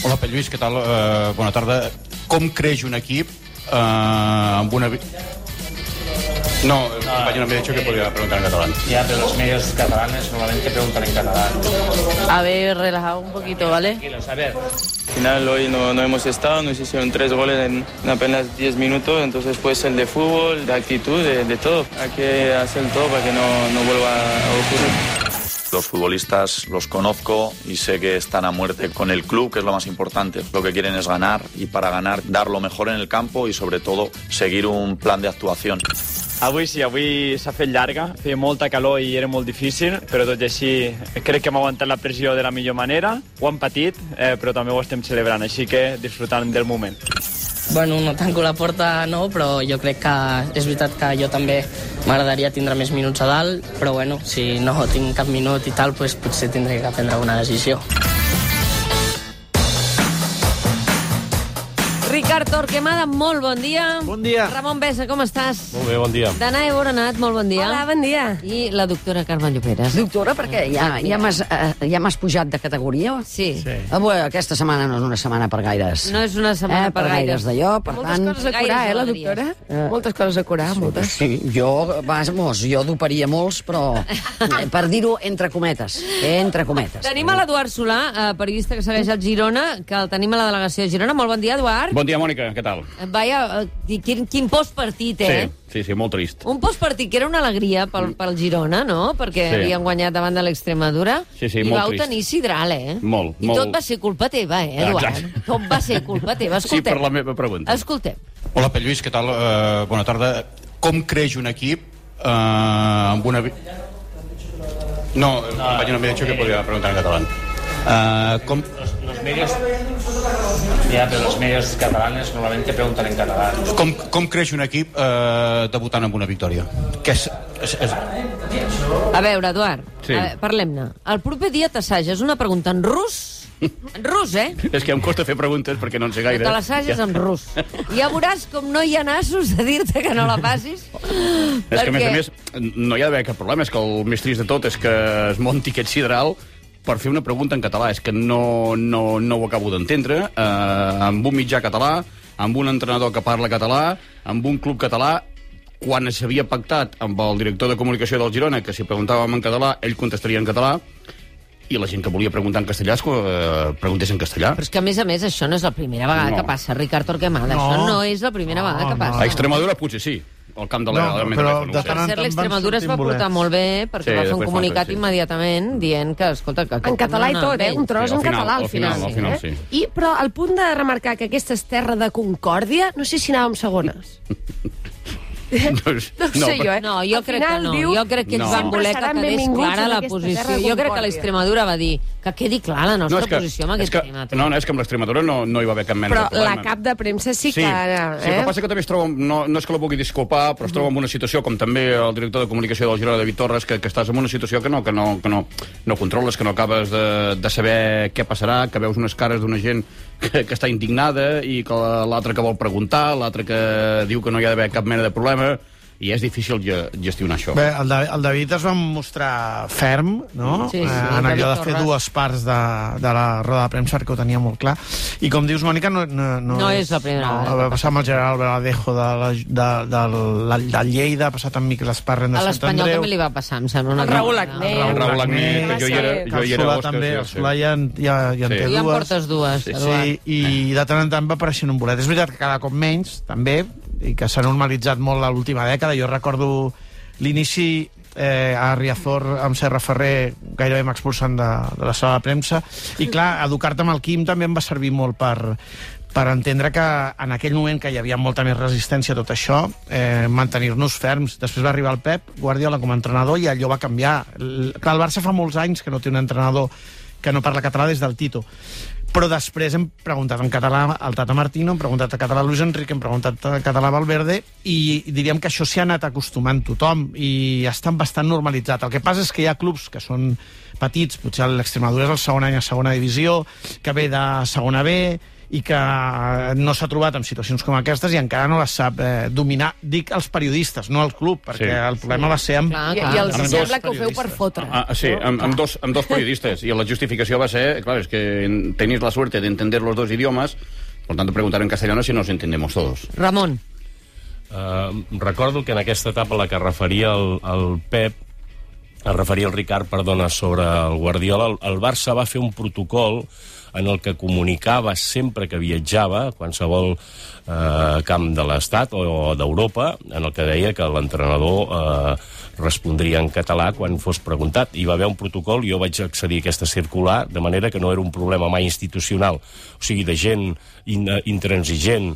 Hola, Pere Lluís, què tal? Bona tarda. Com creix un equip amb una... No, el compañero me ha dicho que podía preguntar en catalán. Ya, pero los medios catalanes normalmente preguntan en catalán. A ver, relajado un poquito, ¿vale? Tranquilos, a ver. Al final hoy no hemos estado, nos hicieron 3 goles en apenas 10 minutos, entonces pues el de fútbol, de actitud, de todo. Hay que hacer todo para que no vuelva a ocurrir. Los futbolistas los conozco y sé que están a muerte con el club, que es lo más importante. Lo que quieren es ganar y para ganar dar lo mejor en el campo y sobre todo seguir un plan de actuación. Avui s'ha fet llarga, feia molta calor i era molt difícil, però tot i així crec que hem aguantat la pressió de la millor manera. Ho hem patit, però també ho estem celebrant, així que disfrutant del moment. Bueno, no tanco la porta, no, però jo crec que és veritat que jo també m'agradaria tindre més minuts a dalt, però bueno, si no tinc cap minut i tal, doncs potser tindré que prendre una decisió. Ricard Torquemada, molt bon dia. Bon dia. Ramon Besa, com estàs? Molt bé, bon dia. Danae Boronat, molt bon dia. Hola, bon dia. I la doctora Carme Lloperas. Doctora, perquè ja m'has pujat de categoria? Sí. Avui, aquesta setmana no és una setmana per gaires. No és una setmana per gaires. d'allò, per tant... Moltes coses a curar, la doctora? Moltes coses a curar, moltes. Sí, jo doparia molts, però per dir-ho entre cometes. Entre cometes. Tenim a l'Eduard Solà, periodista que segueix el Girona, que el tenim a la delegació de Girona. Molt bon dia, Eduard. Bon dia, Mònica, què tal? Vaja, quin postpartit, eh? Sí, molt trist. Un postpartit que era una alegria pel Girona, no? Perquè havien guanyat davant de l'Extremadura. Sí, i molt vau trist. tenir sidral, eh? Molt. I tot va ser culpa teva, Eduard? Exacte. Tot va ser culpa teva. Sí, per la meva pregunta. Escoltem. Hola, Pere Lluís, què tal? Bona tarda. Com creix un equip amb una... No, el compañero me ha dicho que podía preguntar en catalán. Los medios... Ya, pero los medios catalanes normalmente preguntan en catalán. Com creix un equip debutant amb una victòria? A veure, Eduard, Sí. Parlem-ne. El proper dia t'assages una pregunta en rus. En rus, eh? És que em costa fer preguntes perquè no en sé gaire. Te l'assages en rus. Ja veuràs com no hi ha nassos de dir-te que no la passis. És que, a més, no hi ha d'haver cap problema. És que el més trist de tot és que es monti aquest sidral per fer una pregunta en català. És que no ho acabo d'entendre. Amb un mitjà català, amb un entrenador que parla català, amb un club català, quan s'havia pactat amb el director de comunicació del Girona que si preguntàvem en català, ell contestaria en català, i la gent que volia preguntar en castellà preguntés en castellà. Però és que, a més, això no és la primera vegada que passa, Ricard Torquemada. Això no és la primera vegada que passa. A Extremadura potser sí, al camp de la... però de Per cert, l'Extremadura es va portar molt bé perquè va fer un comunicat immediatament dient que, escolta... En català i tot, un tros en català al final. Al final, sí. Però al punt de remarcar que aquesta és terra de concòrdia, no sé si anàvem segones. No sé jo, eh? No, jo crec que no. Jo crec que ens van voler que quedés clara la posició. Jo crec que l'Extremadura va dir que quedi clara la nostra posició amb aquest tema. No, és que amb l'Extremadura no hi va haver cap mena de problema. Però la cap de premsa sí que... Sí, però passa que també es troba... No és que la pugui disculpar, però es troba en una situació, com també el director de comunicació del Girona, David Torres, que estàs en una situació que no controles, que no acabes de saber què passarà, que veus unes cares d'una gent que està indignada i que l'altre que vol preguntar, l'altre que diu que no hi ha d'haver cap mena de problema, i és difícil gestionar això. Bé, el David es va mostrar ferm, no? Sí, en allò de fer dues parts de la roda de premsa, que ho tenia molt clar. I com dius, Mònica, no és la primera vegada. Va passar amb el Gerard Verdejo del Lleida, ha passat amb Miquel Esparren de Sant Andreu. A l'Espanyol també li va passar, em sembla. El Raül Agné. El Raül Agné, que jo hi era... El també, el Solà ja en té dues. Ja en portes dues, Eduard. Sí, i de tant en tant va apareixent un bolet. És veritat que cada cop menys, també, i que s'ha normalitzat molt l'última dècada. Jo recordo l'inici a Riazor amb Serra Ferrer gairebé m'expulsen de la sala de premsa, i clar, educar-te amb el Quim també em va servir molt per entendre que en aquell moment que hi havia molta més resistència a tot això, mantenir-nos ferms. Després va arribar el Pep Guardiola com a entrenador i allò va canviar. Clar, el Barça fa molts anys que no té un entrenador que no parla català des del Tito. Però després hem preguntat en català al Tata Martino, hem preguntat en català a Luis Enrique, hem preguntat en català a Valverde, i diríem que això s'hi ha anat acostumant tothom i està bastant normalitzat. El que passa és que hi ha clubs que són petits, potser l'Extremadura és el segon any a segona divisió, que ve de segona B, i que no s'ha trobat en situacions com aquestes i encara no les sap dominar. Dic els periodistes, no el club, perquè el problema va ser amb... I els sembla que ho feu per fotre. Sí, amb dos periodistes. I la justificació va ser, claro, es que tenéis la suerte de entender los dos idiomas, por tanto preguntar en castellano si nos entendemos todos. Ramon. Recordo que en aquesta etapa a la que referia el Pep, es referia el Ricard, perdona, sobre el Guardiola, el Barça va fer un protocol en el que comunicava sempre que viatjava a qualsevol camp de l'Estat o d'Europa, en el que deia que l'entrenador respondria en català quan fos preguntat. Hi va haver un protocol, jo vaig accedir a aquesta circular, de manera que no era un problema mai institucional, o sigui, de gent intransigent,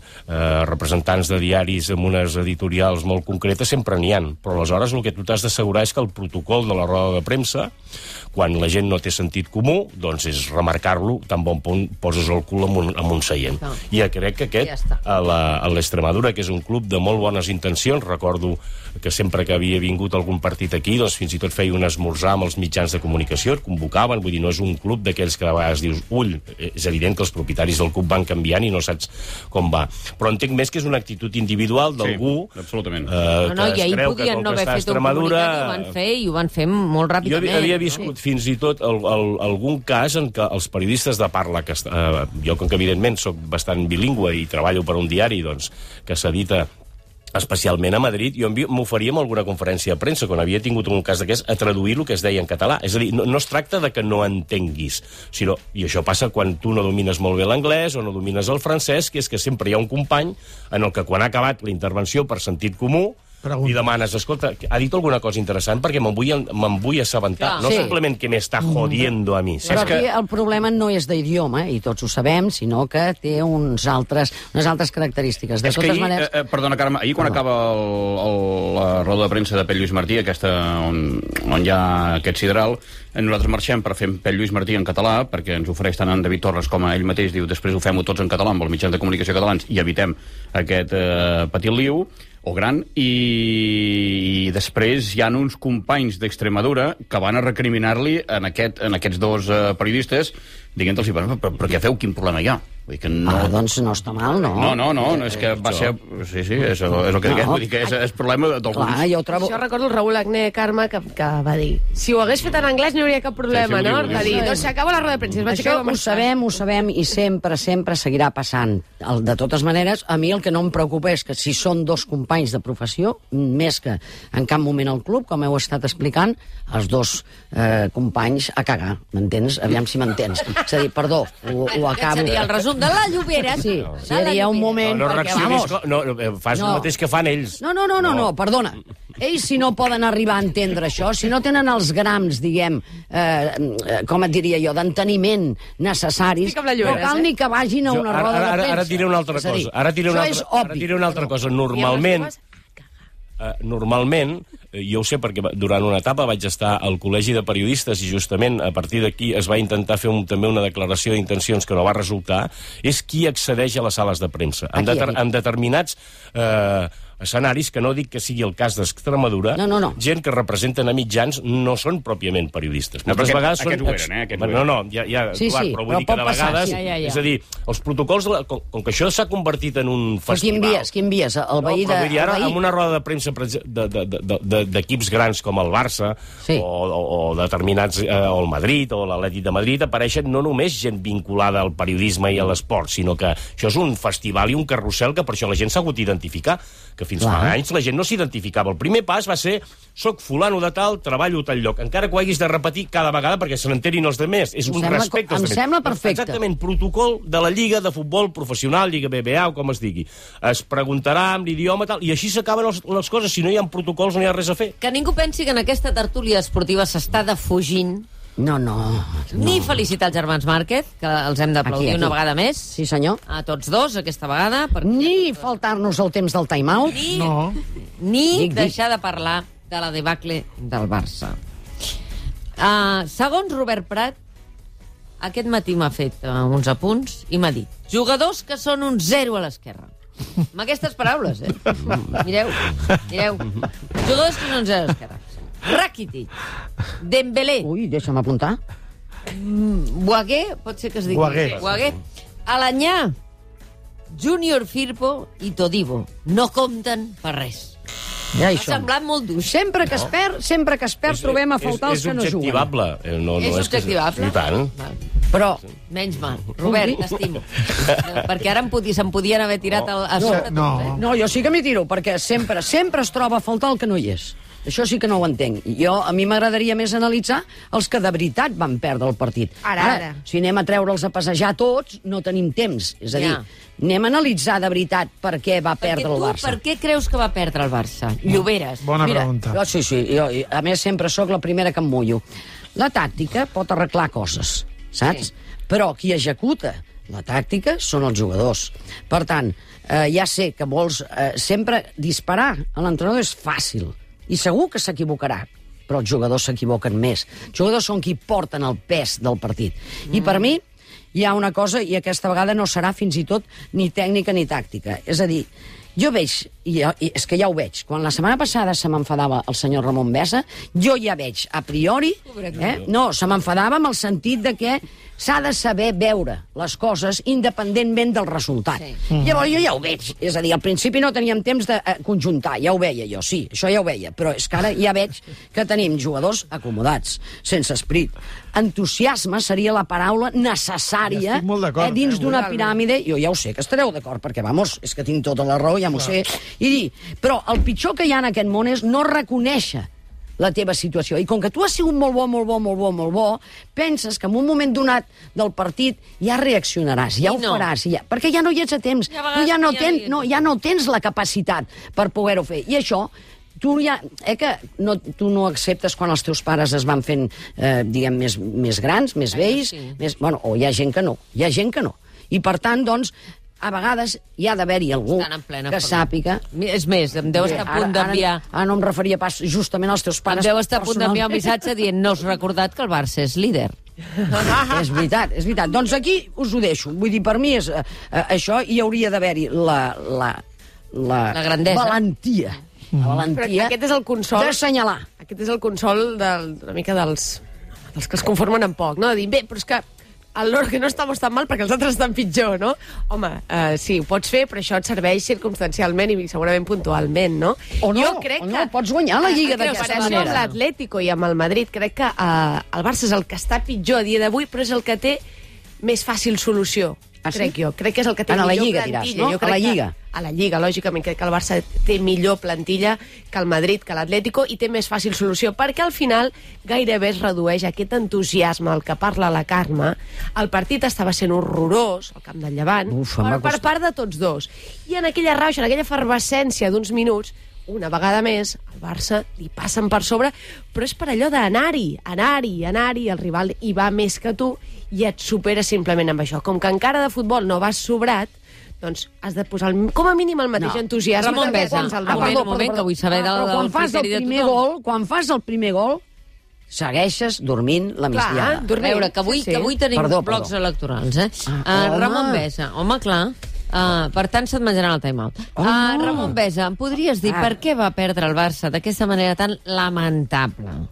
representants de diaris amb unes editorials molt concretes, sempre n'hi ha. Però aleshores el que tu t'has d'assegurar és que el protocol de la roda de premsa, quan la gent no té sentit comú, doncs és remarcar-lo tan bon punt poses el cul en un seient. I crec que aquest, a l'Extremadura, que és un club de molt bones intencions, recordo que sempre que havia vingut algun partit aquí, doncs fins i tot feia un esmorzar amb els mitjans de comunicació, et convocaven, vull dir, no és un club d'aquells que a vegades dius, ull, és evident que els propietaris del club van canviant i no saps com va. Però entenc més que és una actitud individual d'algú que es creu i ahir podien no haver fet un comunicat i ho van fer, i ho van fer molt ràpidament. Jo havia viscut fins i tot algun cas en què els periodistes de parla, jo com que evidentment soc bastant bilingüe i treballo per un diari doncs, que s'edita especialment a Madrid, jo m'oferia amb alguna conferència de premsa, quan havia tingut un cas d'aquest, a traduir el que es deia en català. És a dir, no es tracta de que no entenguis, sinó, i això passa quan tu no domines molt bé l'anglès o no domines el francès, que és que sempre hi ha un company en el que quan ha acabat la intervenció per sentit comú, li demanes, escolta, ha dit alguna cosa interessant perquè me'n vull assabentar. No simplement que m'està jodiendo a mi. Però aquí el problema no és d'idioma, i tots ho sabem, sinó que té unes altres característiques. De totes maneres... Perdona, Carme, ahir quan acaba la roda de premsa de Pep Lluís Martí, aquesta on hi ha aquest sidral, nosaltres marxem per fer Pep Lluís Martí en català, perquè ens ofereix tant en David Torres com a ell mateix, diu, després ho fem-ho tots en català amb els mitjans de comunicació catalans i evitem aquest petit liu o gran, i després hi ha uns companys d'Extremadura que van a recriminar-li en aquests dos periodistes dient-los, però què feu? Quin problema hi ha? Vull dir que no... doncs no està mal, no? No, és que va ser... Sí, és el que diguem, vull dir que és problema d'alguns. Clar, jo trobo... Això recordo el Raúl Agné, Carme, que va dir, si ho hagués fet en anglès no hi hauria cap problema, no? Va dir, doncs s'acaba la roda de premsa. Això ho sabem i sempre seguirà passant. De totes maneres, a mi el que no em preocupa és que si són dos companys de professió, més que en cap moment al club, com heu estat explicant, els dos companys a cagar, m'entens? Aviam si m'entens. És a dir, perdó, ho acabo... Aquest seria el resum de la Llobera. Sí, seria un moment... No reaccionis... Fas el mateix que fan ells. No, perdona. Ells, si no poden arribar a entendre això, si no tenen els grams, diguem, com et diria jo, d'enteniment necessaris, no cal ni que vagin a una roda de premsa. Ara diré una altra cosa. Ara diré una altra cosa. Normalment, jo ho sé perquè durant una etapa vaig estar al Col·legi de Periodistes i justament a partir d'aquí es va intentar fer també una declaració d'intencions que no va resultar, és qui accedeix a les sales de premsa. En determinats escenaris, que no dic que sigui el cas d'Extremadura, gent que representen a mitjans no són pròpiament periodistes. Moltes vegades són... Però vull dir que de vegades... És a dir, els protocols... Com que això s'ha convertit en un festival... Quin vies? El veí de... Vull dir, ara, en una roda de premsa d'equips grans com el Barça, o determinats... o el Madrid, o l'Atlètic de Madrid, apareixen no només gent vinculada al periodisme i a l'esport, sinó que això és un festival i un carrusel que per això la gent s'ha hagut d'identificar, que fins fa anys la gent no s'identificava. El primer pas va ser, soc fulano de tal, treballo a tal lloc, encara que ho haguis de repetir cada vegada perquè se n'enterin els demés. És un respecte. Em sembla perfecte. Exactament, protocol de la Lliga de Futbol Professional, Lliga BBA o com es digui. Es preguntarà amb l'idioma tal, i així s'acaben les coses. Si no hi ha protocols no hi ha res a fer. Que ningú pensi que en aquesta tertúlia esportiva s'està defugint. No. Ni felicitar els germans Márquez, que els hem d'aplaudir una vegada més. Sí, senyor. A tots dos, aquesta vegada. Ni faltar-nos el temps del time-out. Ni deixar de parlar de la debacle del Barça. Segons Robert Prat, aquest matí m'ha fet uns apunts i m'ha dit jugadors que són un 0 a l'esquerra. Amb aquestes paraules, Mireu. Jugadors que són un 0 a l'esquerra. Rakitic, Dembélé. Ui, deixa'm apuntar. Boaguer, pot ser que es digui. Boaguer. Alanyà, Júnior Firpo i Todibo no compten per res. Ja M'ha semblat molt dur. Sempre que es perd trobem a faltar els que no juguen. És objectivable. És objectivable? I tant. Però... Menys mal. Robert, t'estimo. Perquè ara se'n podien haver tirat a sobre. No, jo sí que m'hi tiro, perquè sempre es troba a faltar el que no hi és. Això sí que no ho entenc. A mi m'agradaria més analitzar els que de veritat van perdre el partit. Ara. Si anem a treure'ls a passejar tots, no tenim temps. És a dir, anem a analitzar de veritat per què va perdre el Barça. Per què creus que va perdre el Barça? Lloberes. Bona pregunta. Sí, jo, a més, sempre sóc la primera que em mullo. La tàctica pot arreglar coses, saps? Però qui executa la tàctica són els jugadors. Per tant, ja sé que vols sempre disparar a l'entrenador és fàcil. I segur que s'equivocarà, però els jugadors s'equivoquen més. Els jugadors són qui porten el pes del partit. I per mi hi ha una cosa, i aquesta vegada no serà fins i tot ni tècnica ni tàctica. És a dir, jo veig, i és que ja ho veig, quan la setmana passada se m'enfadava el senyor Ramon Besa, jo ja veig a priori, se m'enfadava amb el sentit de que s'ha de saber veure les coses independentment del resultat. Llavors jo ja ho veig. És a dir, al principi no teníem temps de conjuntar, ja ho veia jo, sí, això ja ho veia, però és que ara ja veig que tenim jugadors acomodats, sense esperit. Entusiasme seria la paraula necessària dins d'una piràmide. Jo ja ho sé que estareu d'acord, perquè, vamos, és que tinc tota la raó, ja m'ho sé. I dir, però el pitjor que hi ha en aquest món és no reconèixer la teva situació. I com que tu has sigut molt bo, penses que en un moment donat del partit ja reaccionaràs, ja ho faràs, perquè ja no hi ets a temps. Tu ja no tens la capacitat per poder-ho fer. I això, tu no acceptes quan els teus pares es van fent, diguem, més grans, més vells, o hi ha gent que no. I per tant, doncs, a vegades hi ha d'haver-hi algú que sàpiga... És més, em deu estar a punt d'enviar... Ara no em referia pas justament als teus pares. Em deu estar a punt d'enviar un missatge dient no us recordat que el Barça és líder. És veritat. Doncs aquí us ho deixo. Vull dir, per mi és això, i hauria d'haver-hi la grandesa. Valentia. La valentia aquest és el consol, d'assenyalar. Aquest és el consol una mica dels que es conformen amb poc, no? De dir, bé, però és que que no estamos tan mal perquè els altres estan pitjor, no? Home, sí, ho pots fer, però això et serveix circumstancialment i segurament puntualment, no? Jo crec que pots guanyar la Lliga d'aquesta manera. Amb l'Atlético i amb el Madrid, crec que el Barça és el que està pitjor a dia d'avui, però és el que té més fàcil solució. Crec que és el que té millor plantilla. A la Lliga. A la Lliga, lògicament, crec que el Barça té millor plantilla que el Madrid, que l'Atlético, i té més fàcil solució, perquè al final gairebé es redueix aquest entusiasme al que parla la Carme. El partit estava sent horrorós, al camp del Llevant, per part de tots dos. I en aquella rauxa, en aquella efervescència d'uns minuts, una vegada més, al Barça li passen per sobre, però és per allò d'anar-hi, el rival hi va més que tu i et supera simplement amb això. Com que encara de futbol no vas sobrat, doncs has de posar com a mínim el mateix entusiasme. Ramon Besa, un moment, que vull saber del criteri de tothom. Quan fas el primer gol, segueixes dormint la migdiada. A veure, que avui tenim blocs electorals, Ramon Besa, home, clar. Per tant, se't menjaran el time-out. Ramon Besa, em podries dir per què va perdre el Barça d'aquesta manera tan lamentable?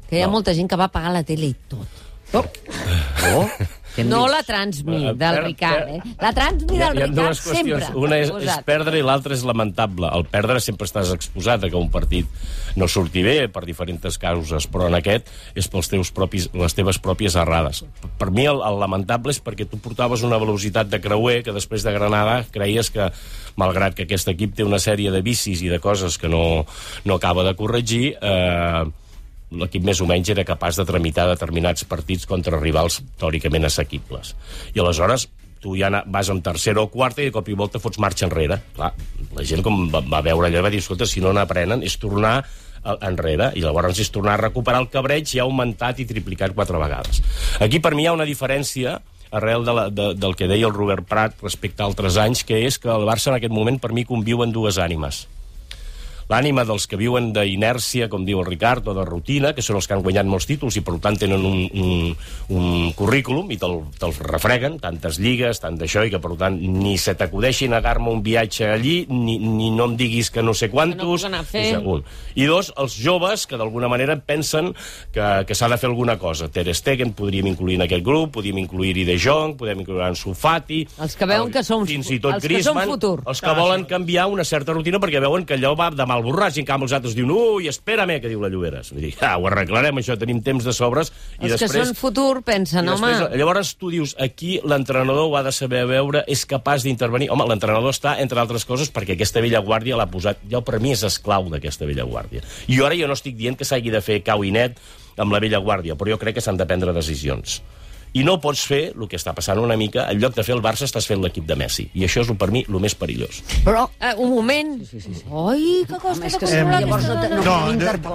Que hi ha molta gent que va apagar la tele i tot. No la Transmi del Ricard, La Transmi del Ricard sempre. Una és perdre i l'altra és lamentable. El perdre sempre estàs exposat a que un partit no surti bé per diferents causes, però en aquest és pels les teves pròpies errades. Per mi el lamentable és perquè tu portaves una velocitat de creuer que després de Granada creies que, malgrat que aquest equip té una sèrie de vicis i de coses que no acaba de corregir, l'equip més o menys era capaç de tramitar determinats partits contra rivals teòricament assequibles. I aleshores tu ja vas amb tercera o quarta i de cop i volta fots marxa enrere. Clar, la gent com va veure allò va dir, escolta, si no n'aprenen és tornar enrere, i llavors és tornar a recuperar el cabreig ja augmentat i triplicat 4 vegades. Aquí per mi hi ha una diferència arrel del que deia el Robert Prat respecte a altres anys, que és que el Barça en aquest moment per mi conviu en dues ànimes. l'ànima dels que viuen d'inèrcia, com diu el Ricard, o de rutina, que són els que han guanyat molts títols i per tant tenen un currículum i te'l refreguen, tantes lligues, tant d'això, i que per tant ni se t'acudeixi negar-me un viatge allí, ni no em diguis que no sé quantos. I dos, els joves que d'alguna manera pensen que s'ha de fer alguna cosa. Ter Stegen podríem incluir en aquest grup, podríem incluir-hi De Jong, podem incluir en Sufati, els que veuen que són fins i tot els que són Griezmann, futur. els que volen canviar una certa rutina perquè veuen que allò va de mal borratx, i en canvi els altres diuen ui, espérame, que diu la Lloberes. Vull dir, ho arreglarem, això, tenim temps de sobres. I Els que són futur pensen, home... Llavors tu dius, aquí l'entrenador ho ha de saber veure, és capaç d'intervenir. Home, l'entrenador està, entre altres coses, perquè aquesta vella guàrdia l'ha posat... Ja per mi és esclau d'aquesta vella guàrdia. I ara jo no estic dient que s'hagi de fer cau i net amb la vella guàrdia, però jo crec que s'han de prendre decisions. I no pots fer el que està passant una mica, en lloc de fer el Barça estàs fent l'equip de Messi. I això és, per mi, el més perillós. Però, un moment... Ai, que costa de controlar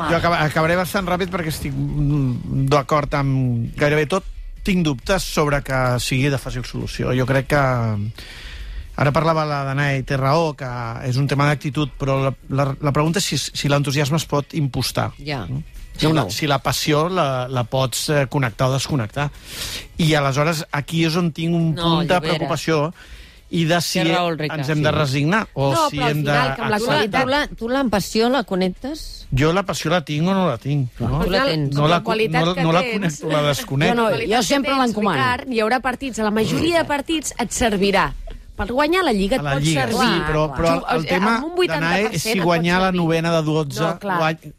jo acabaré bastant ràpid perquè estic d'acord amb gairebé tot. Tinc dubtes sobre que sigui de fàcil solució. Jo crec que... Ara parlava la Danae, té raó, que és un tema d'actitud, però la pregunta és si l'entusiasme es pot impostar. Ja. Si la passió la pots connectar o desconnectar. I aleshores aquí és on tinc un punt de preocupació i de si ens hem de resignar o si hem de... Tu la passió la connectes? Jo la passió la tinc o no la tinc. Tu la tens. No la connecto, la desconnecto. Jo sempre l'encomano. Hi haurà partits, a la majoria de partits et servirà. Per guanyar la Lliga et pot servir. Sí, però el tema d'Anae és si guanyar la novena de 12,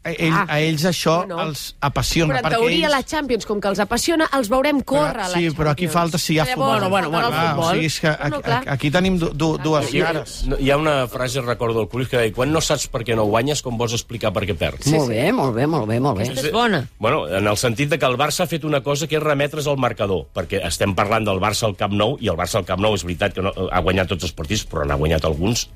a ells això els apassiona. Però en teoria la Champions, com que els apassiona, els veurem córrer a la Champions. Sí, però aquí falta si hi ha futbol. O sigui, és que aquí tenim dues cares. Hi ha una frase, recordo, del Cruyff, que deia, quan no saps per què no guanyes, com vols explicar per què perds? Molt bé. Aquesta és bona. Bueno, en el sentit de que el Barça ha fet una cosa que és remetre's al marcador, perquè estem parlant del Barça al Camp Nou, i el Barça al Camp Nou és veritat que no ha guanyat tots els partits, però n'ha guanyat alguns.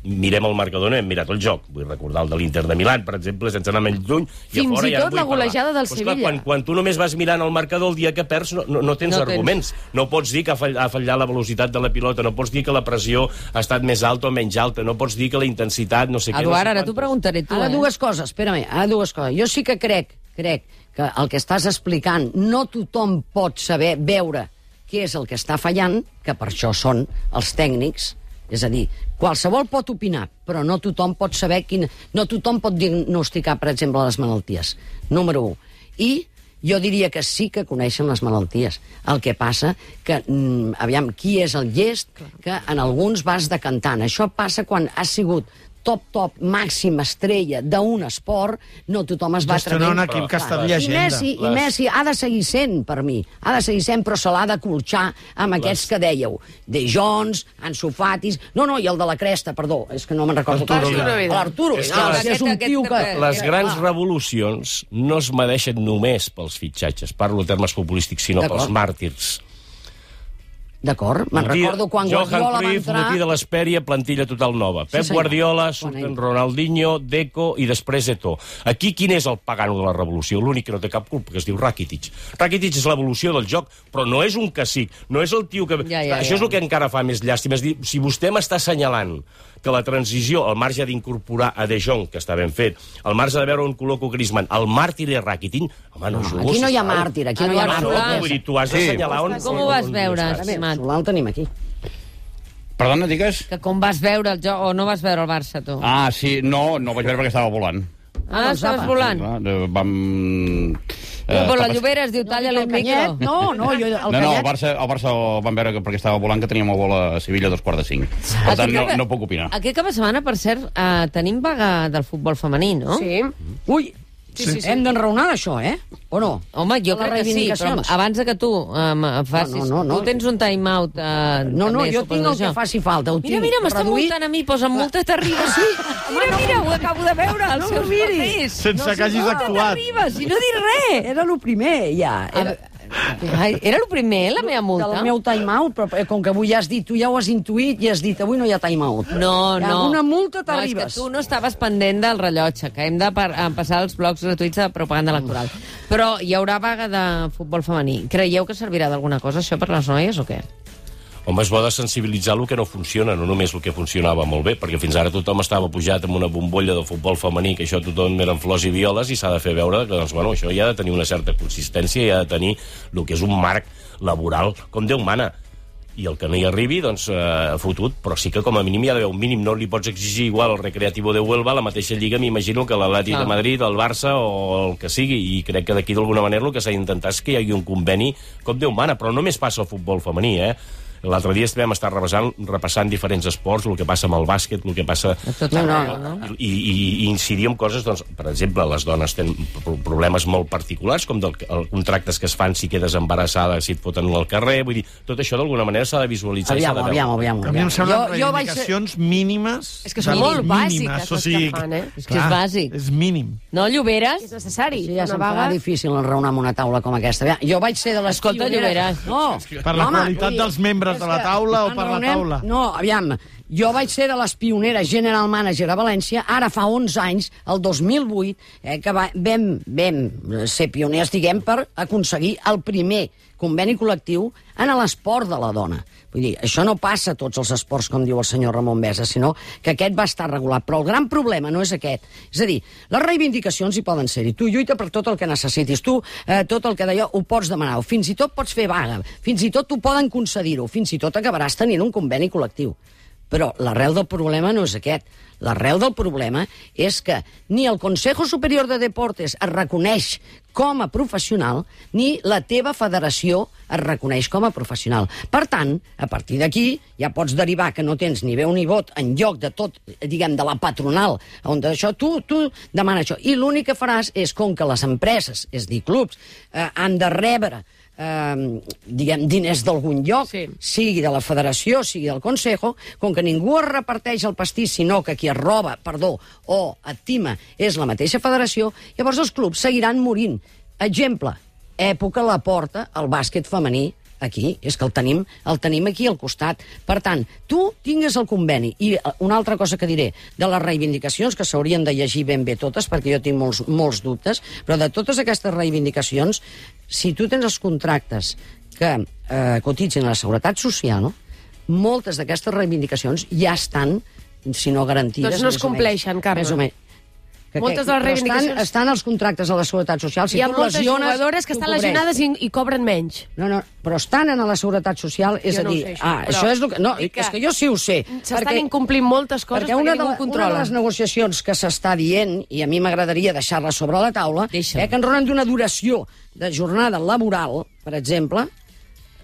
Mirem el marcador, no hem mirat el joc. Vull recordar el de l'Inter de Milán, per exemple, sense anar menys lluny. Fins i tot la golejada del Sevilla. Quan tu només vas mirant el marcador, el dia que perds no tens arguments. No pots dir que ha fallat la velocitat de la pilota, no pots dir que la pressió ha estat més alta o menys alta, no pots dir que la intensitat no sé què... Eduard, ara t'ho preguntaré tu. Ara dues coses, espera-me, Jo sí que crec que el que estàs explicant no tothom pot saber veure què és el que està fallant, que per això són els tècnics. És a dir, qualsevol pot opinar, però no tothom pot saber no tothom pot diagnosticar, per exemple, les malalties. Número 1. I jo diria que sí que coneixen les malalties. El que passa que, aviam, qui és el llest que en alguns vas decantant. Això passa quan has sigut top, màxima estrella d'un esport, no tothom es va atrevint. Gestionar un equip que ha estat llegenda. I Messi ha de seguir sent, per mi. Ha de seguir sent, però se l'ha de colxar amb aquests que dèieu. De Jong, Ansu Fati... No, i el de la cresta, perdó, és que no me'n recordo. L'Arturo. És un tio que... Les grans revolucions no es medeixen només pels fitxatges, parlo en termes futbolístics, sinó pels màrtirs. D'acord, me'n recordo quan Guardiola va Cruyff, entrar... Motí de l'Hespèria, plantilla total nova. Pep Guardiola, surten Ronaldinho, Deco i després Eto'o. Aquí quin és el pagano de la revolució? L'únic que no té cap culpa, que es diu Rakitic. Rakitic és l'evolució del joc, però no és un cacic, no és el tio que... Això és el que encara fa més llàstima. És dir, si vostè m'està assenyalant que la transició, al marge d'incorporar a De Jong, que està ben fet, al marge de veure on col·loco Griezmann, el màrtir és Rakitic, home, no jugo. Aquí no hi ha màrtir, aquí no hi ha màrtir. Vull dir, tu has d'assenyalar on... Com ho vas veure, estimat? El tenim aquí. Perdona, digues? Que com vas veure el joc, o no vas veure el Barça, tu? Ah, sí, no vaig veure perquè estava volant. Estaves volant? Vam... Però la Llobera es diu talla-li el micro. No, el Barça el vam veure perquè estava volant, que teníem el vol a Sevilla a 4:45. Per tant, no puc opinar. Aquest cap de setmana, per cert, tenim vaga del futbol femení, no? Sí. Ui, hem d'enraonar d'això, o no? Home, jo crec que sí, però abans que tu facis... Tu tens un time-out... No, jo tinc el que faci falta. Mira, m'està multant a mi, posa'm multa Terribas. Mira, ho acabo de veure, els seus papers. Sense que hagis actuat. Terribas, i no dic res. Era el primer, ja. Era el primer, la meva multa? El meu time-out, però com que avui ja has dit, tu ja ho has intuït i has dit, avui no hi ha time-out. No. Una multa t'arribes. És que tu no estaves pendent del rellotge, que hem de passar els blocs gratuïts de propaganda electoral. Però hi haurà vaga de futbol femení. Creieu que servirà d'alguna cosa, això, per les noies, o què? Home, és bo de sensibilitzar el que no funciona, no només el que funcionava molt bé, perquè fins ara tothom estava pujat amb una bombolla de futbol femení, que això tothom eren flors i violes, i s'ha de fer veure que doncs, bueno, això ja ha de tenir una certa consistència i ha de tenir el que és un marc laboral com Déu mana. I el que no hi arribi, doncs, fotut, però sí que com a mínim hi ha d'haver un mínim. No li pots exigir igual al Recreativo de Huelva la mateixa lliga, m'imagino, que l'Atlètic de Madrid, el Barça o el que sigui, i crec que d'aquí d'alguna manera el que s'ha d'intentar és que hi hagi un conveni com Déu mana, però només passa al futbol femení, L'altre dia vam estar repassant diferents esports, el que passa amb el bàsquet, el que passa... I incidir en coses, doncs, per exemple, les dones tenen problemes molt particulars, com contractes que es fan si quedes embarassada, si et foten al carrer, vull dir, tot això d'alguna manera s'ha de visualitzar. Aviam. A mi em semblen reivindicacions mínimes. És que són molt bàsiques, o sigui, que fan, És que és bàsic. És mínim. No, Lloberes? És necessari. Sí, ja se'm fa difícil enraonar amb una taula com aquesta. Jo vaig ser de les pioneres... No, per la qualitat dels membres de la taula o per la taula? No, aviam, jo vaig ser de les pioneres general manager a València, ara fa 11 anys, el 2008, que vam ser pioners, diguem, per aconseguir el primer conveni col·lectiu en l'esport de la dona. Vull dir, això no passa a tots els esports, com diu el senyor Ramon Besa, sinó que aquest va estar regulat. Però el gran problema no és aquest. És a dir, les reivindicacions hi poden ser-hi. Tu lluita per tot el que necessitis. Tu, tot el que d'allò, ho pots demanar. Fins i tot pots fer vaga. Fins i tot t'ho poden concedir-ho. Fins i tot acabaràs tenint un conveni col·lectiu. Però l'arrel del problema no és aquest. L'arrel del problema és que ni el Consejo Superior de Deportes es reconeix com a professional, ni la teva federació es reconeix com a professional. Per tant, a partir d'aquí, ja pots derivar que no tens ni veu ni vot en lloc de tot, diguem, de la patronal, on d'això tu demana això. I l'únic que faràs és, com que les empreses, és dir, clubs, han de rebre diguem, diners d'algun lloc, sigui de la federació, sigui del Consejo, com que ningú es reparteix el pastís, sinó que qui es roba, o et tima, és la mateixa federació, llavors els clubs seguiran morint. Exemple, època Laporta, el bàsquet femení, aquí, és que el tenim aquí al costat. Per tant, tu tingues el conveni. I una altra cosa que diré, de les reivindicacions, que s'haurien de llegir ben bé totes, perquè jo tinc molts dubtes, però de totes aquestes reivindicacions, si tu tens els contractes que cotitzen a la Seguretat Social, moltes d'aquestes reivindicacions ja estan, si no garantides... Doncs no es compleixen, Carme. Més o menys. Moltes de les reivindicacions... Estan els contractes a la Seguretat Social. Hi ha moltes jugadores que estan lesionades i cobren menys. No, però estan a la Seguretat Social, és a dir... Això és el que... No, és que jo sí ho sé. S'estan incomplint moltes coses perquè ningú controla. Una de les negociacions que s'està dient, i a mi m'agradaria deixar-la sobre la taula, que enronen d'una duració de jornada laboral, per exemple,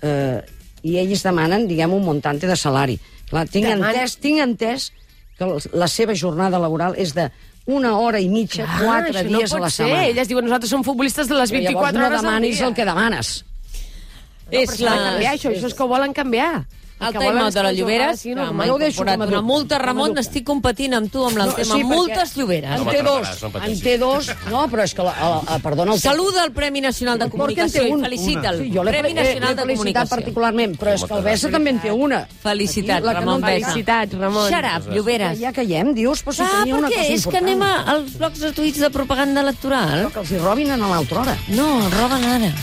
i ells demanen, diguem, un montante de salari. Clar, tinc entès que la seva jornada laboral és de 1 hora i mitja, 4 dies a la setmana. Elles diuen, nosaltres som futbolistes de les 24 hores al dia. Llavors no demanis el que demanes. Això és que ho volen canviar. El time-out de les Lloberes, que m'ha incorporat una multa, Ramon, estic competint amb tu amb el tema multes Lloberes. En té dos, no, però és que, perdona... Saluda el Premi Nacional de Comunicació i felicita'l. Premi Nacional de Comunicació. Particularment, però és que el Bessa també en té una. Felicitats, Ramon Bessa. Felicitats, Ramon. Shut up, Lloberes. Ja caiem, dius, però si tenia una cosa important. És que anem als blocs gratuïts de propaganda electoral. Que els hi robin a l'altra hora. No, el roben ara.